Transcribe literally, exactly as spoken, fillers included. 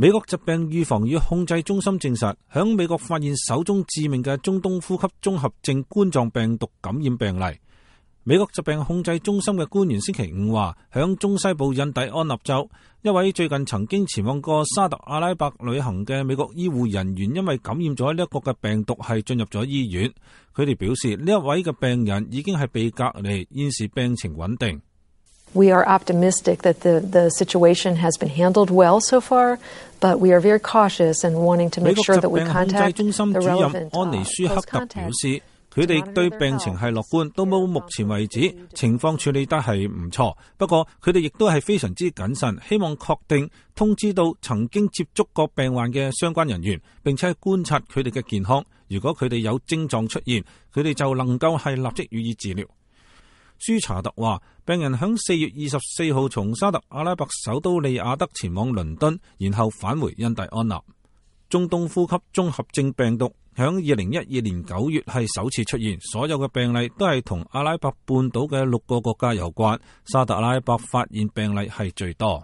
美國疾病預防與控制中心證實，響美國發現首宗致命嘅中東呼吸綜合症冠狀病毒感染病例。美國疾病控制中心嘅官員星期五話，響中西部印第安納州，一位最近曾經前往過沙特阿拉伯旅行嘅美國醫護人員，因為感染咗呢一個嘅病毒，係進入咗醫院。佢哋表示，呢一位嘅病人已經係被隔離，現時病情穩定。We are optimistic that the, the situation has been handled well so far, but we are very cautious and wanting to make sure that we contact the relevant host contacts. 美國疾病控制中心主任安妮舒克特表示，佢哋對病情係樂觀，到冇目前為止情況處理得係唔錯。不過佢哋亦都係非常之謹慎，希望確定通知到曾經接觸過病患嘅相關人員，並且觀察佢哋嘅健康。如果佢哋有症狀出現，佢哋就能夠係立即予以治療。舒查特話，病人響四月二十四號從沙特阿拉伯首都利雅得前往倫敦，然後返回印第安納。中東呼吸綜合症病毒響二零一二年九月係首次出現，所有嘅病例都係同阿拉伯半島嘅六個國家有關，沙特阿拉伯發現病例係最多。